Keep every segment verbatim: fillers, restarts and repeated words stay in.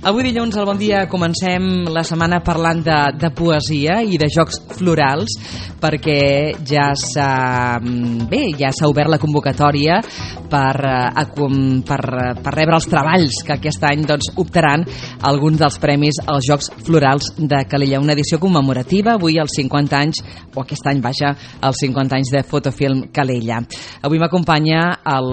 Avui dilluns al Bon Dia comencem la setmana parlant de, de poesia i de jocs florals, perquè ja s'ha bé, ja s'ha obert la convocatòria per, per, per rebre els treballs que aquest any doncs, optaran alguns dels premis als Jocs Florals de Calella, una edició commemorativa, avui els cinquanta anys, o aquest any, vaja, els cinquanta anys de Fotofilm Calella. Avui m'acompanya el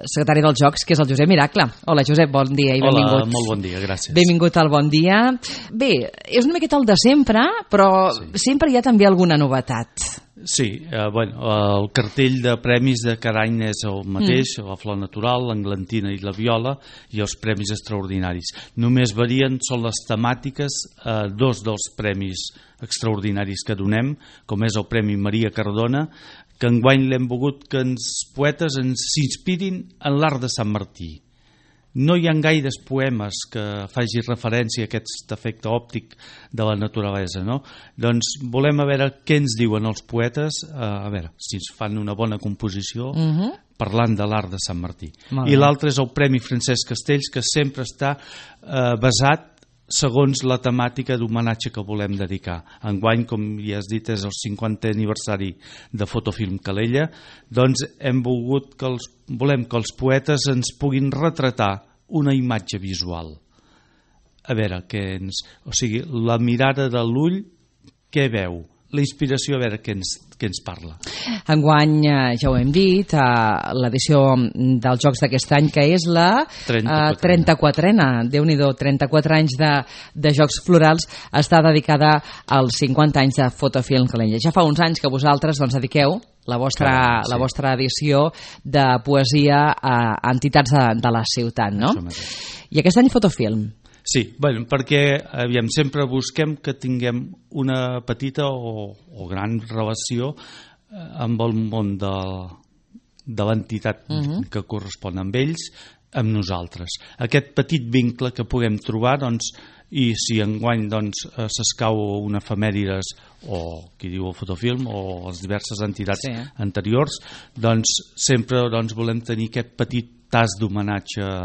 secretari dels Jocs, que és el Josep Miracle. Hola, Josep, bon dia i benvingut. Hola, molt bon dia, gràcies. Benvingut al Bon Dia. Bé, és una miqueta el de sempre, però sí. Sempre hi ha també alguna novetat. Sí, eh, bueno, el cartell de premis de cada any és el mateix, mm. la flor natural, l'englantina i la viola, i els premis extraordinaris. Només varien, són les temàtiques, eh, dos dels premis extraordinaris que donem, com és el Premi Maria Cardona, que enguany l'hem volgut que els poetes ens s'inspirin en l'art de Sant Martí. No hi ha gaires poemes que faci referència a aquest efecte òptic de la naturalesa, no? Doncs volem a veure què ens diuen els poetes, a veure si ens fan una bona composició uh-huh. parlant de l'art de Sant Martí. I l'altre és el Premi Francesc Castells, que sempre està eh, basat segons la temàtica d'homenatge que volem dedicar. Enguany, com ja has dit, és el cinquantè aniversari de Fotofilm Calella, doncs hem volgut que els, volem que els poetes ens puguin retratar una imatge visual. A veure, que ens, o sigui, la mirada de l'ull, què veu? La inspiració, a veure què ens, què ens parla. Enguany, ja ho hem dit, l'edició dels Jocs d'aquest any, que és la trenta-quatrena, Déu-n'hi-do, trenta-quatre anys de, de Jocs Florals, està dedicada als cinquanta anys de Fotofilm Calella. Ja fa uns anys que vosaltres doncs, dediqueu la vostra, Clar, sí. la vostra edició de poesia a entitats de, de la ciutat, no? I aquest any Fotofilm. Sí, bueno, perquè aviam, sempre busquem que tinguem una petita o, o gran relació amb el món de, de l'entitat uh-huh. que correspon amb ells, amb nosaltres. Aquest petit vincle que puguem trobar, doncs, i si enguany doncs, s'escau una efemèrides o qui diu el Fotofilm o les diverses entitats sí. anteriors, doncs sempre doncs, volem tenir aquest petit tas d'homenatge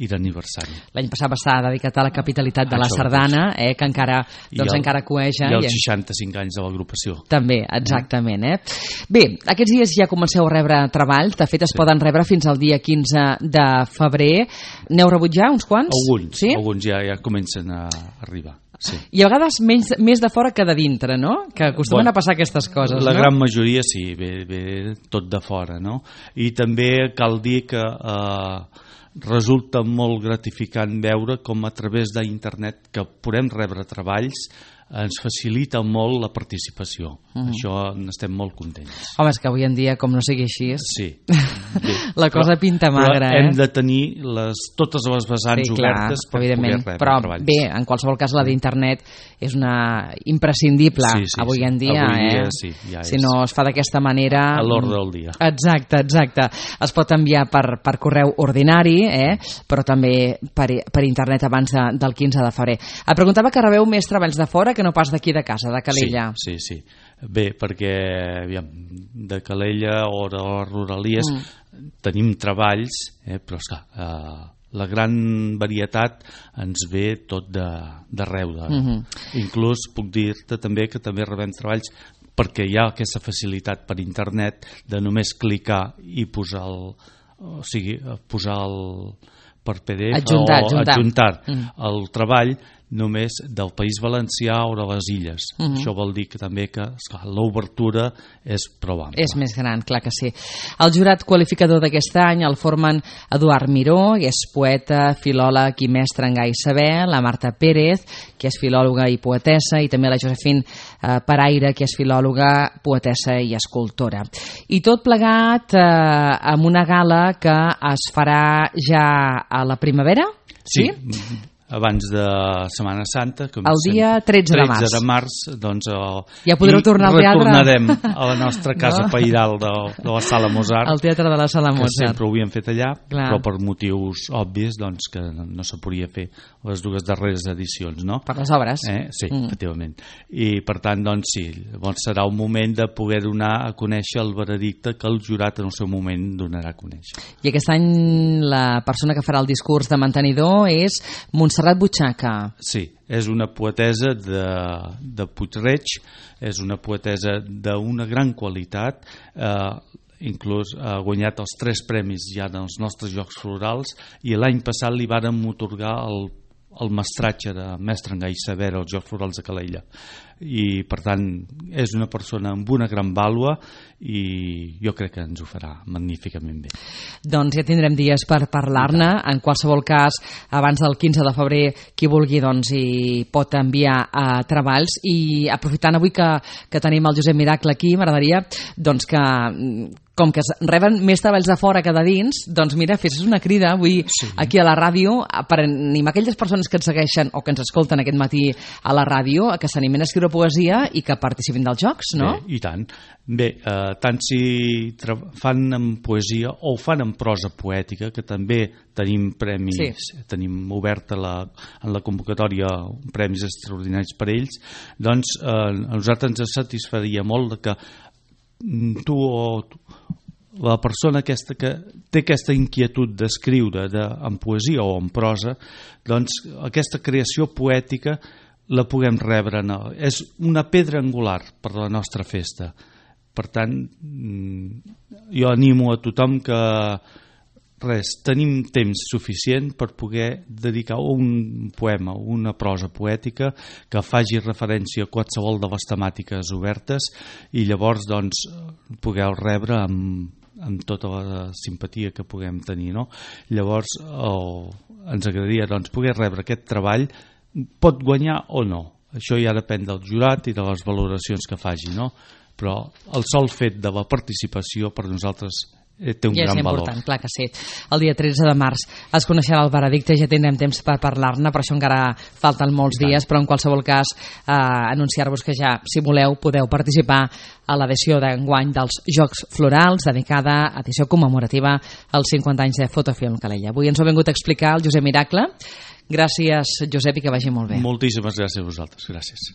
i d'aniversari. L'any passat va estar dedicat a la capitalitat de la Sardana, eh, que encara, doncs, el, encara cueja. I els seixanta-cinc anys de l'agrupació. També, exactament. Eh? Bé, aquests dies ja comenceu a rebre treballs, de fet es sí. poden rebre fins al dia quinze de febrer. N'heu rebut ja uns quants? Alguns, sí? alguns ja, ja comencen a arribar. Sí. I a vegades menys, més de fora que de dintre, no? Que acostumen bueno, a passar aquestes coses, la no? gran majoria sí, ve, ve tot de fora, no? I també cal dir que eh, resulta molt gratificant veure com a través d'internet que podem rebre treballs ens facilita molt la participació. Uh-huh. Això n'estem molt contents. Home, és que avui en dia, com no sigui així, sí. Bé, la cosa però, pinta magra. Però hem eh? de tenir les, totes les vessants sí, clar, obertes per poder rebre però, treballs. Bé, en qualsevol cas, la d'internet és una imprescindible sí, sí, avui sí. en dia. Avui dia eh? sí, ja si no es fa d'aquesta manera... A l'ordre del dia. Exacte, exacte. Es pot enviar per, per correu ordinari, eh? però també per, per internet abans de, del quinze de febrer. Et preguntava que rebeu més treballs de fora que no pas d'aquí de casa, de Calella. Sí, sí, sí. Bé, perquè aviam, de Calella o de les Rodalies mm. tenim treballs, eh, però esclar, eh, la gran varietat ens ve tot d'arreu. De, mm-hmm. Inclús puc dir-te també que també rebem treballs perquè hi ha aquesta facilitat per internet de només clicar i posar el, o sigui, posar el per P D F adjuntar, o adjuntar, adjuntar mm. el treball només del País Valencià o de les Illes. Uh-huh. Això vol dir que també que esclar, l'obertura és prou ampla. És més gran, clar que sí. El jurat qualificador d'aquest any el formen Eduard Miró, que és poeta, filòleg i mestre en gai saber, la Marta Pérez, que és filòloga i poetessa, i també la Josefine eh, Paraire, que és filòloga, poetessa i escultora. I tot plegat eh, amb una gala que es farà ja a la primavera? Sí, sí? Abans de Setmana Santa, com el dia tretze de març, tretze de març doncs, uh, ja podreu tornar al teatre. Retornarem a la nostra casa no? pairal de, de la Sala Mozart, el teatre de la Sala Mozart, que sempre ho havíem fet allà. Clar. Però per motius obvis doncs, que no se podia fer les dues darreres edicions, no? Per les obres. Eh? Sí, mm. efectivament. I per tant, doncs sí, doncs serà un moment de poder donar a conèixer el veredicte que el jurat en el seu moment donarà a conèixer. I aquest any la persona que farà el discurs de mantenidor és Montserrat Montserrat Butxaca. Sí, és una poetesa de, de Puig-reig, és una poetesa d'una gran qualitat, eh, inclús ha guanyat els tres premis ja dels nostres Jocs Florals, i l'any passat li vàrem atorgar el, el mestratge de mestre en Gai Saber als Jocs Florals de Calella, i per tant és una persona amb una gran vàlua i jo crec que ens ho farà magníficament bé. Doncs ja tindrem dies per parlar-ne. En qualsevol cas, abans del quinze de febrer, qui vulgui doncs hi pot enviar a treballs, i aprofitant avui que, que tenim el Josep Miracle aquí, m'agradaria doncs que com que es reben més treballs de fora que de dins, doncs mira, fessis una crida avui sí. aquí a la ràdio per animar aquelles persones que ens segueixen o que ens escolten aquest matí a la ràdio a que s'animen a escriure poesia i que participin dels jocs, no? Bé, i tant. Bé, eh, tant si fan en poesia o fan en prosa poètica, que també tenim premis, sí. tenim oberta la, en la convocatòria premis extraordinaris per ells, doncs eh, a nosaltres ens satisfaria molt que tu o la persona aquesta que té aquesta inquietud d'escriure de, en poesia o en prosa, doncs aquesta creació poètica la puguem rebre. No? És una pedra angular per la nostra festa. Per tant, jo animo a tothom que res, tenim temps suficient per poder dedicar un poema, una prosa poètica que faci referència a qualsevol de les temàtiques obertes, i llavors doncs pugueu rebre amb, amb tota la simpatia que puguem tenir, no? Llavors oh, ens agradaria doncs poder rebre aquest treball. Pot guanyar o no, això ja depèn del jurat i de les valoracions que faci, no? Però el sol fet de la participació per nosaltres té un ja gran és important, valor. clar que sí. El dia tretze de març es coneixerà el veredicte, ja tindrem temps per parlar-ne, per això encara falten molts dies, però en qualsevol cas eh, anunciar-vos que ja, si voleu, podeu participar a l'edició d'enguany dels Jocs Florals, dedicada a edició commemorativa als cinquanta anys de Fotofilm Calella. Avui ens ho ha vingut a explicar el Josep Miracle. Gràcies, Josep, i que vagi molt bé. Moltíssimes gràcies a vosaltres. Gràcies.